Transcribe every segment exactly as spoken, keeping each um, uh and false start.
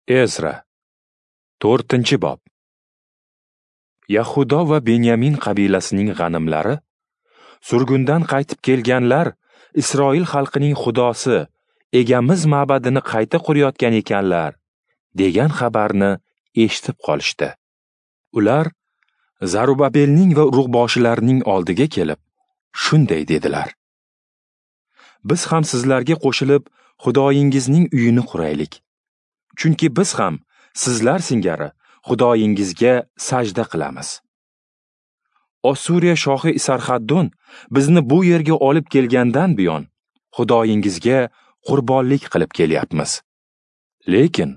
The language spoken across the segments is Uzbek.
Ezra, to'rtinchi bob. Yahudo va Benyamin qabilasining g'animlari, surgundan qaytib kelganlar Isroil xalqining xudosi Egamiz ma'badini qayta qurayotgan ekanlar degan xabarni eshitib qolishdi. Ular Zarubabelning va urug'boshilarning oldiga kelib, shunday dedilar: Biz ham sizlarga qo'shilib Xudoyingizning uyini quraylik. Chunki biz ham sizlar singari Xudoyingizga sajda qilamiz. Ossuriya shohi Isarxaddon bizni bu yerga olib kelgandan buyon Xudoyingizga qurbonlik qilib kelyapmiz. Lekin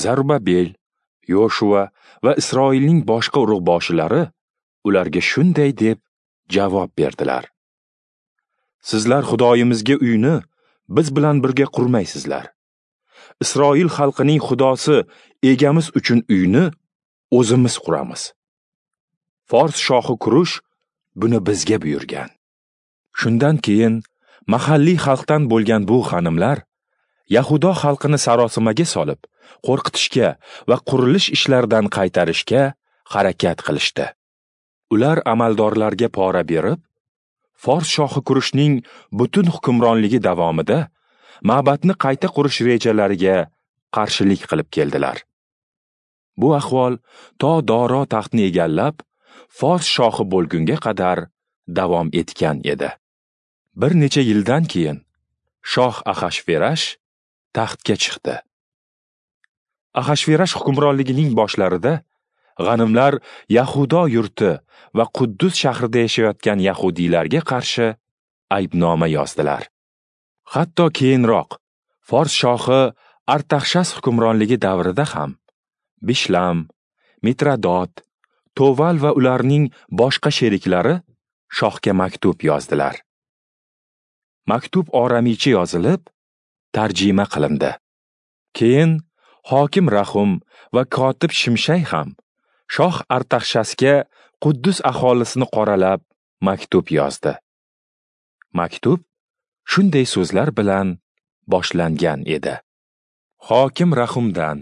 Zarubabel, Yoshua va Isroilning boshqa urug'boshilari ularga shunday deb javob berdilar: Sizlar Xudoyimizga uyni biz bilan birga qurmaysizlar. Isroil xalqining xudosi Egamiz uchun uyni o'zimiz quramiz. Fors shohi Kurush buni bizga buyurgan. Shundan keyin mahalliy xalqdan bo'lgan bu xonimlar Yahudo xalqini sarosimaga solib, qo'rqitishga va qurilish ishlaridan qaytarishga harakat qilishdi. Ular amaldorlarga pora berib, Fors shohi Kurushning butun hukmronligi davomida ma'badni qayta qurish rejalariga qarshilik qilib keldilar. Bu ahvol to Doro taxtni egallab, Fors shohi bo'lgunga qadar davom etgan edi. Bir necha yildan keyin shoh Axashverash taxtga chiqdi. Axashverash hukmronligining boshlarida g'animlar Yahudo yurti va Quddus shahrida yashayotgan yahudiylarga qarshi aybnoma yozdilar. Hatto keyinroq Fors shohi Artaxshas hukmronligi davrida ham Bishlam, Mitradot, Toval va ularning boshqa sheriklari shohga maktub yozdilar. Maktub oramicha yozilib, tarjima qilindi. Keyin hokim Rahum va kotib Shimshay ham shoh Artaxshasga Quddus aholisini qoralab maktub yozdi. Maktub shunday so'zlar bilan boshlangan edi: Hokim Rahumdan,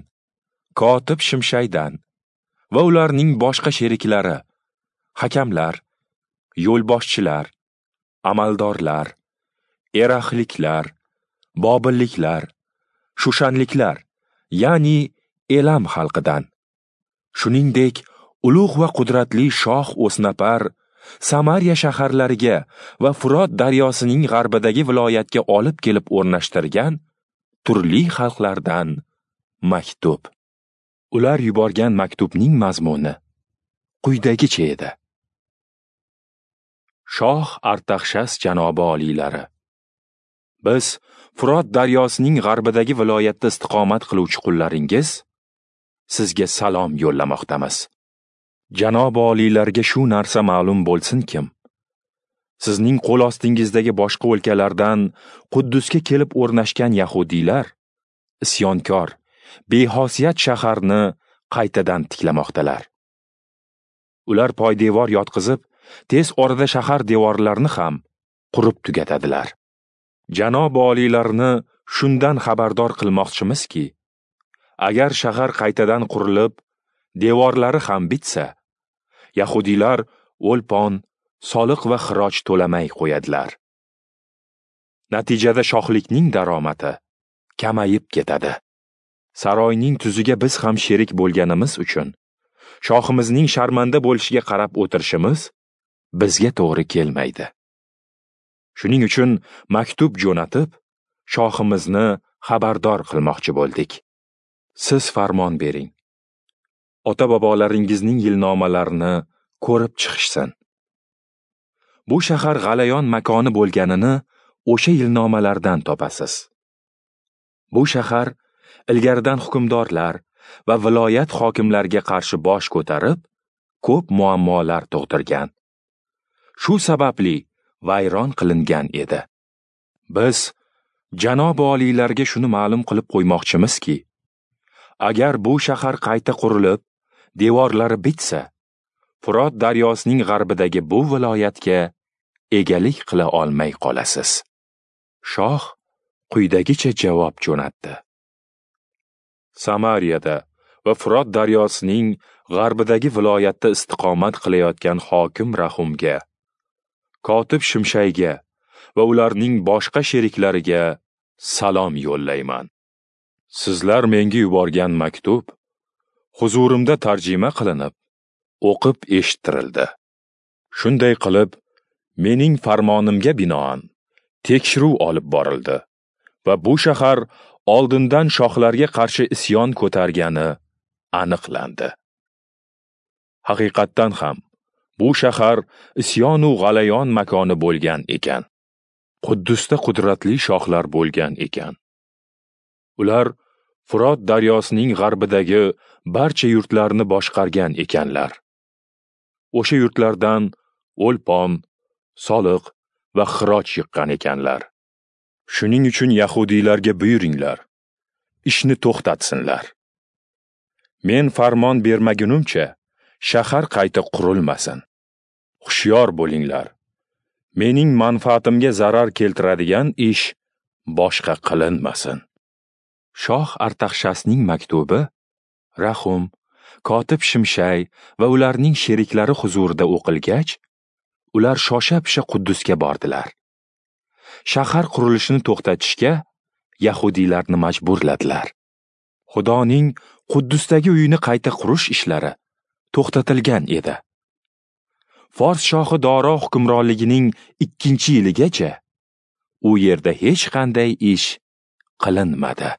kotib Shimshaydan va ularning boshqa sheriklari, hakamlar, yo'lboshchilar, amaldorlar, eraxliklar, bobilliklar, shushanliklar, ya'ni Elam xalqidan, shuningdek ulug' va qudratli shoh O'snapar Samariya shaharlariga va Furot daryosining g'arbidagi viloyatga olib kelib o'rnashtirgan turli xalqlardan maktub. Ular yuborgan maktubning mazmuni quyidagicha edi: Shoh Artaxshas janobi oliylari, biz Furot daryosining g'arbidagi viloyatda istiqomat qiluvchi qullaringiz sizga salom yo'llamoqdamiz. Janobi oliylarga shu narsa ma'lum bo'lsin-kim, sizning qo'l ostingizdagi boshqa o'lkalardan Quddusga kelib o'rnashgan yahudiylar isyonkor, bexosiyat shaharni qaytadan tiklamoqdalar. Ular poydevor yotqizib, tez orada shahar devorlarini ham qurib tugatadilar. Janobi oliylarni shundan xabardor qilmoqchimizki, agar shahar qaytadan qurilib, devorlari ham bitsa, yahudiylar o'lpon, soliq va xiroj to'lamay qo'yadilar. Natijada shohlikning daromadi kamayib ketadi. Saroyning tuziga biz ham sherik bo'lganimiz uchun shohimizning sharmanda bo'lishiga qarab o'tirishimiz bizga to'g'ri kelmaydi. Shuning uchun maktub jo'natib, shohimizni xabardor qilmoqchi bo'ldik. Siz farmon bering. Ota-bobolaringizning yilnomalarini ko'rib chiqishsin. Bu shahar g'alayon makoni bo'lganini o'sha yilnomalardan topasiz. Bu shahar ilgaridan hukmdorlar va viloyat hokimlariga qarshi bosh ko'tarib, ko'p muammolar tug'dirgan. Shu sababli vayron qilingan edi. Biz janobi oliylarga shuni ma'lum qilib qo'ymoqchimizki, agar bu shahar qayta qurilib, devorlari bitsa, Furot daryosining g'arbidagi bu viloyatga egalik qila olmay qolasiz. Shoh quyidagicha javob jo'natdi: Samariyada va Frot daryosining g'arbidagi viloyatda istiqomat qilayotgan hokim Rahumga, kotib Shimshayga va ularning boshqa sheriklariga salom yo'llayman. Sizlar menga yuborgan maktub huzurimda tarjima qilinib, o'qib eshittirildi. Shunday qilib, mening farmonimga binoan tekshiruv olib borildi va bu shahar oldindan shohlarga qarshi isyon ko'targani aniqlandi. Haqiqatdan ham bu shahar isyon u g'alayon makoni bo'lgan ekan. Quddusda qudratli shohlar bo'lgan ekan. Ular Furot daryosining g'arbidagi barcha yurtlarni boshqargan ekanlar. O'sha yurtlardan o'lpon, soliq va xiroj yiqqan ekanlar. Shuning uchun yahudiylarga buyuringlar, ishni to'xtatsinlar. Men farmon bermagunimcha shahar qayta qurilmasin. Hushyor bo'linglar. Mening manfaatimga zarar keltiradigan ish boshqa qilinmasin. Shoh Artaxshasning maktubi Rahum, kotib Shimshay va ularning sheriklari huzurida o'qilgach, ular shosha-pisha Quddusga bordilar. Shahar qurilishini to'xtatishga yahudiylarni majburladilar. Xudoning Quddusdagi uyini qayta qurish ishlari to'xtatilgan edi. Fors shohi Doro hukmronligining ikkinchi yiligacha u yerda hech qanday ish qilinmadi.